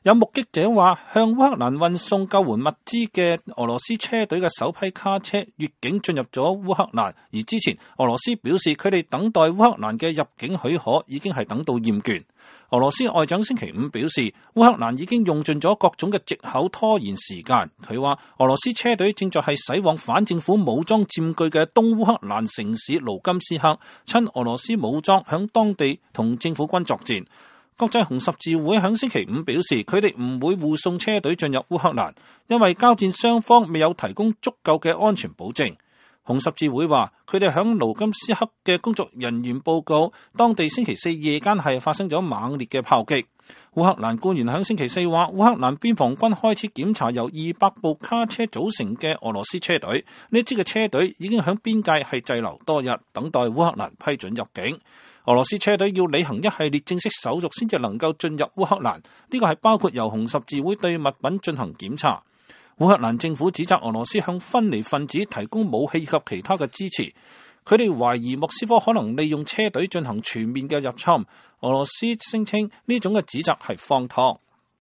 有目擊者話，向烏克蘭運送救援物資嘅俄羅斯車隊嘅首批卡車越境進入咗烏克蘭，而之前俄羅斯表示佢哋等待烏克蘭嘅入境許可已經係等到厭倦。俄羅斯外長星期五表示，烏克蘭已經用盡咗各種嘅藉口拖延時間。佢話俄羅斯車隊正在係駛往反政府武裝佔據嘅東烏克蘭城市盧甘斯克，親俄羅斯武裝響當地同政府軍作戰。國際紅十字會響星期五表示，佢哋唔會護送車隊進入烏克蘭，因為交戰雙方未有提供足夠嘅安全保證。紅十字會話，佢哋響盧甘斯克嘅工作人員報告，當地星期四夜間係發生咗猛烈嘅炮擊。烏克蘭官員響星期四話，烏克蘭邊防軍開始檢查由200部卡車組成嘅俄羅斯車隊，呢支嘅車隊已經響邊界係滯留多日，等待烏克蘭批准入境。俄羅斯車隊要履行一系列正式手續先至能夠進入烏克蘭，呢個係包括由紅十字會對物品進行檢查。烏克蘭政府指責俄羅斯向分離分子提供武器及其他嘅支持，佢哋懷疑莫斯科可能利用車隊進行全面嘅入侵。俄羅斯聲稱呢種嘅指責係荒唐。